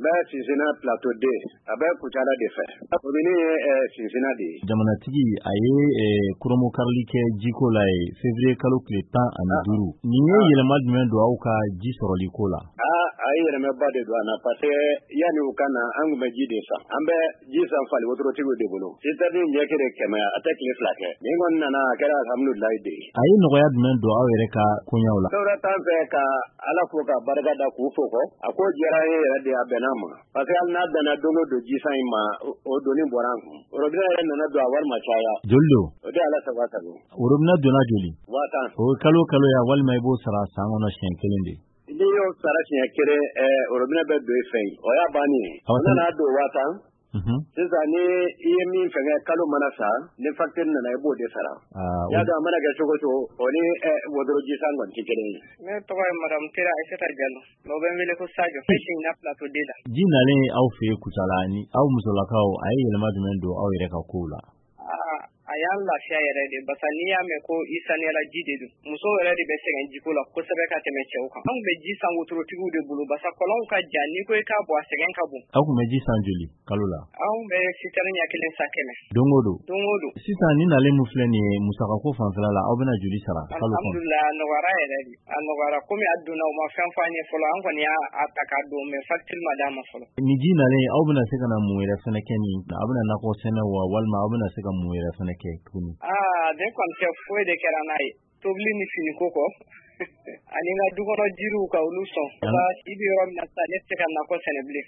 N bɛ Sinsinna Plateau 2, a bɛ Kucala de fɛ. Commune ye Sinsinna de ye. Jamanatigi a ye kurunbonkarili kɛ jiko la ye février kalo tile 15. Nin ye yɛlɛma jumɛn don aw ka ji sɔrɔli ko la? Aa, a ye yɛlɛmaba de don an na, parce que yanni u ka na, an tun bɛ ji de san. An bɛ ji san fali wotorotigiw de bolo. Citerne ɲɛ kelen 100, a tɛ tile 2 kɛ. Nin kɔni nana, a kɛra alhamdulilayi de ye. A ye nɔgɔya jumɛn don aw yɛrɛ ka koɲaw la? Dɔwɛrɛ t'an fɛ ka Ala fo ka barika da k'u fo kɔ. A ko diyara an ye yɛrɛ de, a bɛnna ma. Parce que hali n'a bɛnna don o don jisan in ma, o doni bɔra an kun. Robinet yɛrɛ nana don, a wari ma caya. Joli don? O de Ala sago sago. Robinet donna joli? 10 000. O ye kalo kalo ya, walima i b'o sara san kɔnɔ siɲɛ kelen de? N'i y'o sara siɲɛ kelen, robinet bɛ don i fɛ yen. O y'a bannen ye. O nana don 10 000. Sisan ni i ye min fɛngɛ, kalo mana sa, ni facture nana, i b'o de sara. Y'a dɔn, a mana kɛ cogo cogo, o ni wotoro jisan kɔni tɛ kelen ye. Ne tɔgɔ ye madame Tera Aïssata Diallo, mais u bɛ n wele ko Sadio. Ne Sinsinna Plateau 2 la. Ji nalen aw fɛ yen Kucala, ni aw musolakaw, a ye yɛlɛma jumɛn don aw yɛrɛ ka kow la? A y'an lafiya yɛrɛ de, parce que n'i y'a mɛn ko i saniyara, ji de don. Musow yɛrɛ de bɛ sɛgɛn jiko la kosɛbɛ ka tɛmɛ cɛw kan. Anw bɛ ji san wotorotigiw de bolo, parce que kɔlɔnw ka jan, n'i ko i k'a bɔ, a sɛgɛn ka bon. Aw tun bɛ ji san joli kalo la? Anw bɛ citerne ɲɛ kelen san 100. Don o don? Don o don. Sisan ni nalen min filɛ nin ye, musakako fanfɛla la, aw bɛna joli sara kalo kɔnɔ? Alhamdulilayi, a nɔgɔyara yɛrɛ de, a nɔgɔyara. Komi a donna, u ma fɛn fɔ an ye fɔlɔ. An kɔni y'a ta k'a don, mais facture ma d'an ma fɔlɔ. Ni ji nalen, aw bɛna se ka na mun yɛrɛ fɛnɛ kɛ nin? Aw bɛna nakɔ sɛnɛ wa, walima aw bɛna se ka mun yɛrɛ fɛnɛ kɛ tuguni? Aa, ne kɔni tɛ foyi de kɛra n'a ye tobili ni finiko kɔ, ani n ka dukɔnɔ jiriw ka olu sɔn. I bɛ yɔrɔ min na sisan, ne tɛ se ka nakɔ sɛnɛ bilen.